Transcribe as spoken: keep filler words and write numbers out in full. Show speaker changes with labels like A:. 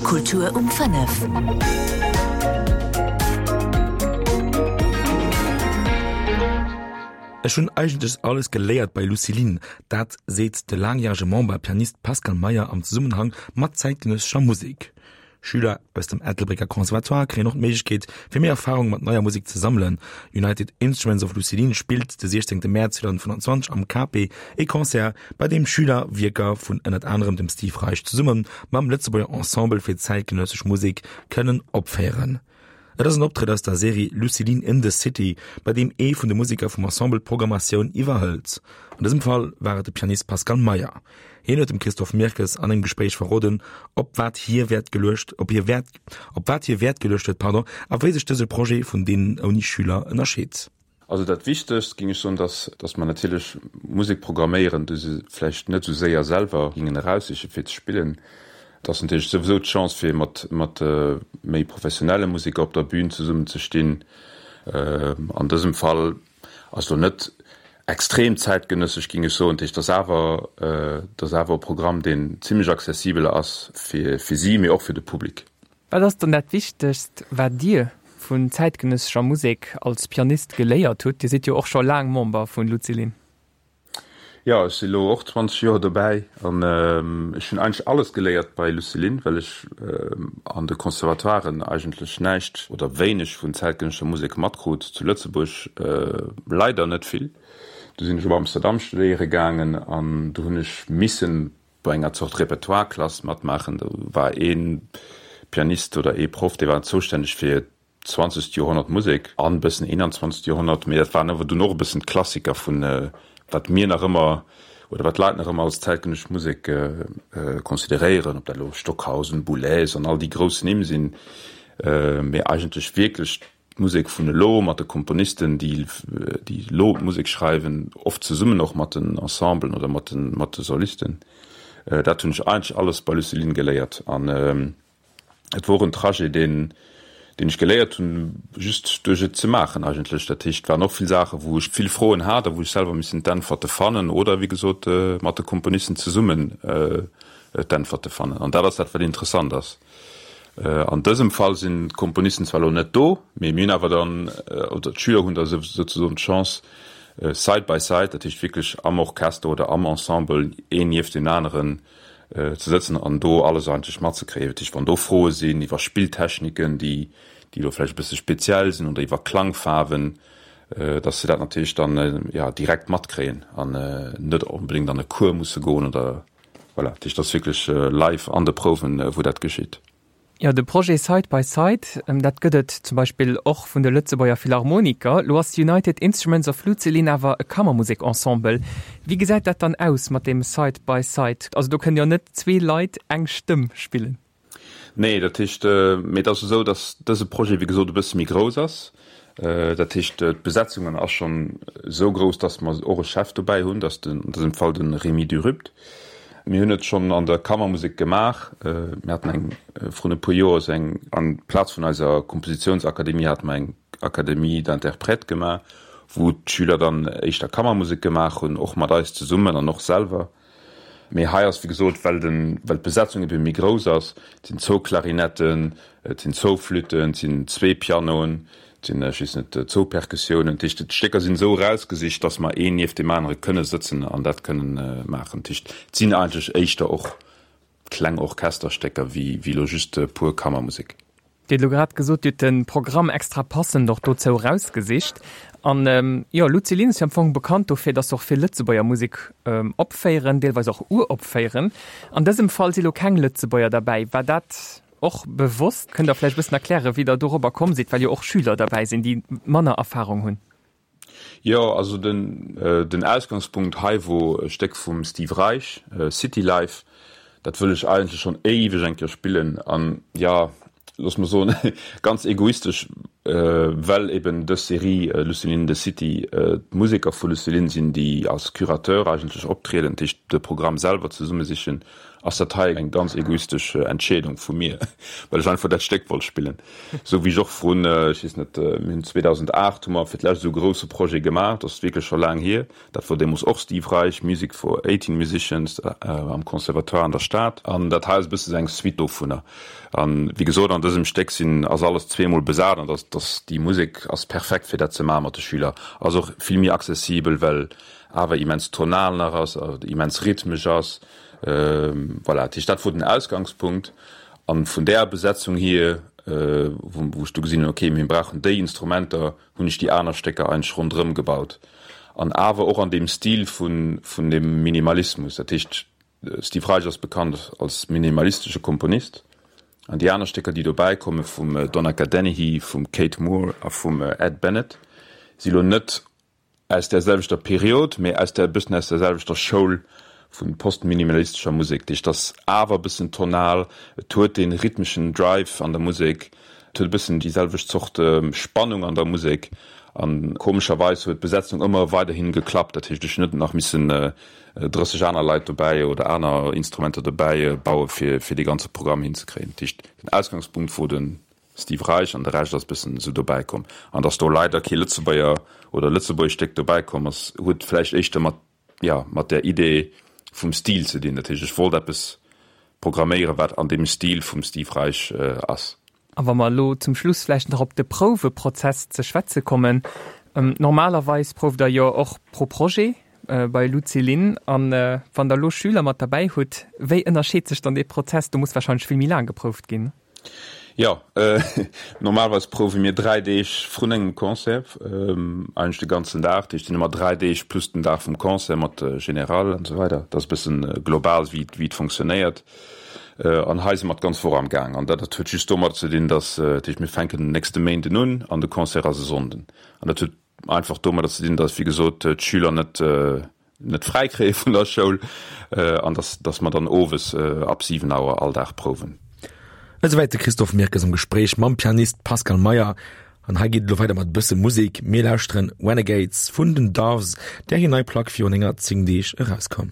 A: Kultur um fënnef.
B: Ech hunn eigentlech alles geléiert bei Lucilin, dat seet de laangjärege Member a Pianist Pascal Meyer am Zesummenhang mat zäitgenëssescher Musek. Schüler aus dem Ettelbrécker Conservatoire kréien och d'Méiglechkeet, fir méi Erfarung mat neier Musek ze sammelen. United Instruments of Lucilin spillt de siechzéngte Mäerz zweedausendfënnwanzwanzeg am Cape ee Concert, bei deem Schüler Wierker vun ënnert anerem dem Steve Reich zesumme mam Lëtzebuerger Ensemble fir zäitgenëssesch Musek kënnen opféieren. Et ass en Optrëtt aus der Serie Lucilin in the City, bei deem ee vun de Museker vum Ensemble d'Programmatioun iwwerhëlt. An dësem Fall war et de Pianist Pascal Meyer. Hien huet dem Christophe Mirkes an engem Gespréich verroden, op wat hie Wäert geluecht, op hie Wäert, op wat hie Wäert geluecht huet, pardon, a wéi sech dëse Projet vun deenen ouni Schüler ënnerscheet.
C: Also dat Wichtegst, géing ech soen, dass, dass mer natierlech Musek programméieren, déi se vläicht net esou séier selwer gingen eraussiche fir ze spillen. Et ass natierlech souwisou d'Chance fir mat, mat méi professionelle Museker op der Bühn zesummen ze stinn. An dësem Fall ass elo net extrem zäitgenëssesch, géing ech soen. Dat heescht, et ass awer, et ass awer e Programm, deen zimlech accessibel ass fir, fir si, mee och fir de Public.
D: Wat ass dann dat Wichtegst, wat Dir vun zäitgenëssescher Musek als Pianist geléiert hutt? Dir sidd jo och scho laang Member vun Lucilin.
C: Jo, ech si lo och zwanzeg Joer dobäi an ech hunn eigentlech alles geléiert bei Lucilin, well ech an de Conservatoiren eigentlech näischt oder wéineg vun zäitgenëssescher Musek matkrut, zu Lëtzebuerg leider net vill. Du sinn ech op Amsterdam studéiere gaangen an do hunn ech missen bei enger Zort Repertoire-Klass matmaachen. Do war ee Pianist oder ee Proff, dee war zoustänneg fir zwanzegt Joerhonnert Musek an e bëssen eenanzwanzegt Joerhonnert, mee dat waren awer dunn och e bëssen d'Klassiker vun wat mir nach ëmmer oder wat d'Leit nach ëmmer als zäitgenëssesch Musek consideréieren, ob dat elo Stockhausen, Boulez an all déi grouss Nimm sinn, mee eigentlech wierklech d'Musek vun elo mat de Komponisten, déi déi elo d'Musek schreiwen, oft zesummen och mat den Ensemblen oder mat de mat de Solisten. Dat hunn ech eigentlech alles bei Lucilin geléiert an Et wor en Trajet, deen, deen ech geléiert hunn, just duerch et ze maachen eigentlech. Dat heescht, et waren och vill Saachen, wou ech vill Froen hat a wou ech selwer missen d'Äntwerte fannen oder, wéi gesot, mat de Komponisten zesummen d'Äntwerte fannen. An dat ass dat, wat interessant ass. An dësem Fall sinn d'Komponisten zwar elo net do, mee mir hunn awer dann, oder d'Schüler hunn da souzesoen d'Chance, side by side, dat heescht wierklech am Orchester oder am Ensemble, een nieft deem aneren, ze sëtzen an do alles eigentlech matzekréien. Dat heescht, wann do Froe sinn iwwer Spilltechniken, déi déi elo vläicht e bësse speziell sinn oder iwwer Klangfaarwen, datt se dat natierlech dann, jo, direkt matkréien an net onbedéngt an e Cours musse goen oder voilà. Dat heescht, dat ass wierklech live an de Prouwen, wou dat geschitt.
D: Jo, de Projet Side by Side, dat gëtt et zum Beispill och vun de Lëtzebuerger Philharmoniker. Lo ass United Instruments of Lucilin awer e Kammermusekensemble. Wéi gesäit dat dann aus mat deem Side by Side? Also do kënnen jo net zwee Leit eng Stëmm spillen.
C: Nee, dat heescht, mee et ass esou, datt dëse Projet wéi gesot e bësse méi grouss ass. Dat heescht, d'Besetzungen ass schonn esou grouss, datt mer och e Chef dobäi hunn, dat ass an dësem Fall de Rémy Durupt. Mir hunn et schonn an der Kammermusek gemaach. Mir haten eng vrun e puer Joer esou eng, an Plaz vun eiser Kompositiounsakademie hate mer eng Académie d'interprètes gemaach, wou d'Schüler dann éischter Kammermusek gemaach hunn, och mat eis zesummen an och selwer. Mee hei ass, wéi gesot, well den, well d'Besetzung ebe méi grouss ass, et sinn zwou Klarinetten, et sinn zwou Flütten, et sinn zwee Pianoen, Et sinn, ech weess net, zwou Perkussiounen. Dat heescht, d'Stécker sinn esou erausgesicht, datt mer een nieft deem anere kënne sëtzen an dat kënnen maachen. Dat heescht, et sinn eigentlech éischter och kleng Orchesterstécker wéi elo just pur Kammermusek.
D: Dir hutt elo grad gesot, Dir hutt de Programm extra passend och dozou erausgesicht. An jo, Lucilin ass jo am Fong bekannt dofir, datt se och vill Lëtzebuerger Musek opféieren, deelweis och uropféieren. An dësem Fall si lo keng Lëtzebuerger derbäi. War dat Och bewosst? Kënnt Der vläicht e bëssen erklären, wéi Der dorobber komm sidd, well jo och Schüler derbäi sinn, déi manner Erfahrung hunn?
C: Jo, also den den Ausgangspunkt hei wor e Stéck vum Steve Reich, City Life. Dat wëll ech eigentlech schonn éiweg eng Kéier spillen an, jo, looss mer soen, ganz egoistesch, well eben dës Serie Lucilin in the City d'Museker vu Lucilin sinn, déi als Curateur eigentlech optrieden, dat heescht de Programm selwer zesummesichen ass dat hei eng ganz egoistesch Entscheedung vu mir, well ech einfach dat Stéck wollt spillen. Sou wéi ech och vrun, ech weess net, mir hunn zweedausendacht hu mer fir d'lescht esou e grousse Projet gemaach, dat ass wierklech scho laang hier, dat wor deemools och Steve Reich, Music for eighteen Musicians am Conservatoire an der Stad. An dat hei ass e bësse sou eng Suite dovunner. An wéi gesot, an dësem Stéck sinn, ass alles zweemol besat an dass, dass déi Musek ass perfekt fir dat ze maache mat de Schüler. Ass och vill méi accessibel, well awer immens tonal nach ass, immens rhythmesch ass. Voilà, dat heescht, dat wor den Ausgangspunkt. An vun där Besetzung hier, wou ech du gesinn hunn, okay, mir brauchen déi Instrumenter, hunn ech déi aner Stécker eigentlech ronderëm gebaut. An awer och an deem Stil vun, vun deem Minimalismus. Dat heescht, Steve Reich ass bekannt als minimalistesche Komponist. An déi aner Stécker, déi dobäi komme vum Donnacha Dennehy, vum Kate Moore a vum Ed Bennett, si lo net aus där selwechter Period, mee aus där, e bëssen aus där selwechter Schoul vu postminimalistescher Musek. Dat heescht, et ass awer e bëssen tonal, et huet dee rhythmeschen Drive an der Musek, et huet e bëssen déi selwecht Zort Spannung an der Musek. A komescherweis huet d'Besetzung ëmmer weiderhi geklappt. Dat heescht, ech hunn net nach missen drësseg aner Leit dobäi oder aner Instrumenter dobäi baue fir fir dee ganze Programm hinzekréien. Dat heescht, den Ausgangspunkt wor de Steve Reich an de Rescht ass bëssen esou dobäi komm. An datt do leider kee Lëtzebuerger oder lëtzebuergescht Stéck dobäi komm ass, huet vläicht éischter mat, jo, mat där Idee vum Stil ze dinn. Dat heescht, ech wollt eppes programméieren, wat an deem Stil vum Steve Reich ass.
D: A wa mer elo zum Schluss vläicht nach op de Prouweprozess ze schwätze kommen. Normalerweis prouft Der jo och pro Projet bei Lucilin. A wann Der elo Schüler mat derbäi hutt, wéi ënnerscheet sech dann dee Prozess? Do muss warscheinlech vill méi laang geprouft ginn.
C: Jo, normalerweis prouwe mir dräi Deeg vrun engem Concert, eigentlech de ganzen Dag. Dat heescht, et sinn ëmmer dräi Deeg plus den Dag vum Concert mat General an esou weider. Dat ass e bëssen global, wéi et funktionéiert. An hei si mer d'ganz Woch am Gaang. An dat huet just domadder ze dinn, dass, dat heescht, mir fänken den nächste Méinden un an de Concert ass e Sonnden. An dat huet einfach domadder ze dinn, dass, wéi gesot, d'Schüler net, net fräi kréie vun der Schoul an dass, dass mer dann owes ab siwen Auer all Dag prouwen.
B: Esouwäit de Christophe Mirkes am Gespréich mam Pianist Pascal Meyer. An hei geet et elo weider mat e bësse Musek. Mir lauschteren Renegades vun den Doves, där hir nei Plack virun enger zéng Deeg erauskoum.